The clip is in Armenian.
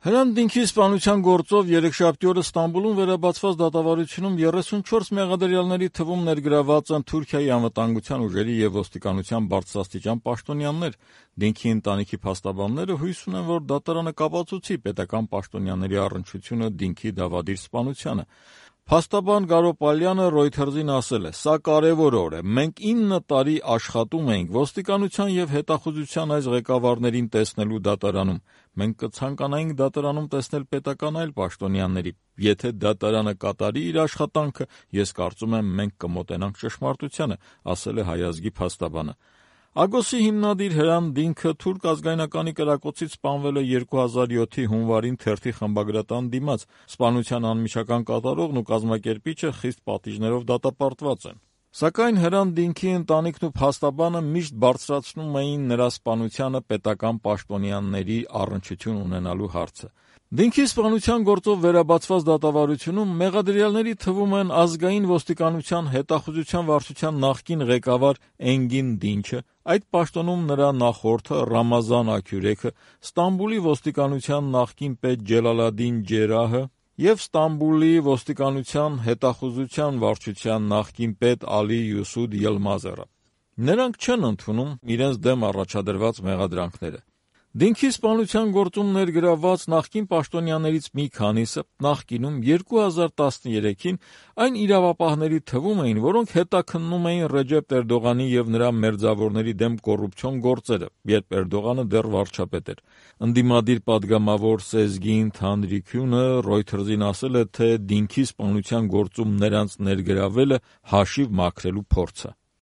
Հրանտ Դինքի սպանության գործով երեքշաբթի օրը Ստամբուլում վերաբացված դատավարությունում 34 մեղադրյալների թվում ներգրավված են Թուրքիայի անվտանգության ուժերի և ոստիկանության բարձրաստիճան պաշտոնյաներ։ Դինքի ընտանիքի փաստաբանները հույս ունեն, որ դատարանը կապացուցի պետական պաշտոնյաների առնչությունը Դինքի դավադիր սպանությանը։ Փաստաբան Գարո Պալյանը Reuters-ին ասել է. «Սա կարևոր օր է։ Մենք 9 տարի աշխատում էինք ոստիկանության և հետախուզության այս ղեկավարներին տեսնելու դատարանում։ Մենք կցանկանայինք դատարանում տեսնել պետական այլ պաշտոնյաների։ Եթե դատարանը կատարի իր աշխատանքը, ես կարծում եմ, մենք կմոտենանք ճշմարտությանը», ասել է Հայ ազգի փաստաբանը։ Ագոսի հիմնադիր Հրանտ Դինքը թուրք ազգայնականի կրակոցից սպանվել է 2007-ի հունվարին թերթի խմբագրատան դիմաց։ Սպանության անմիջական կատարողն ու կազմակերպիչը խիստ պատիժներով դատապարտված են։ Սակայն Հրանտ Դինքի ընտանիքն ու փաստաբանը միշտ բարձրացնում էին նրա սպանությանը պետական պաշտոնյաների առնչություն ունենալու հարցը։ Դինքի սպանության գործով վերաբացված դատավարությունում մեղադրյալների թվում են ազգային ոստիկանության հետախուզության վարչության նախկին ղեկավար Էնգին Դինչը, այդ պաշտոնում նրա նախորդը Ռամազան Աքյուրեքը, Ստամբուլի ոստիկանության նախկին պետ Ջելալադին Ջերահը և Ստամբուլի ոստիկանության հետախուզության վարչության նախկին պետ Ալի Յուսուդ Ելմազերը։ Նրանք չեն ընդունում իրենց դեմ առաջադրված մեղադրանքները։ Դինքի սպանության գործում ներգրավված նախկին պաշտոնյաներից մի քանիսը նախկինում 2013-ին այն իրավապահների թվում էին, որոնք հետաքննում էին Ռեջեփ Էրդողանի և նրա մերձավորների դեմ կոռուպցիոն գործերը, երբ Էրդողանը դեռ վարչապետ էր։ Ընդդիմադիր պատգամավոր Սեզգին Թանրիկյունը Reuters-ին ասել է, թե Դինքի սպանության գործում նրանց ներգրավելը հաշիվ մաքրելու փորձ է։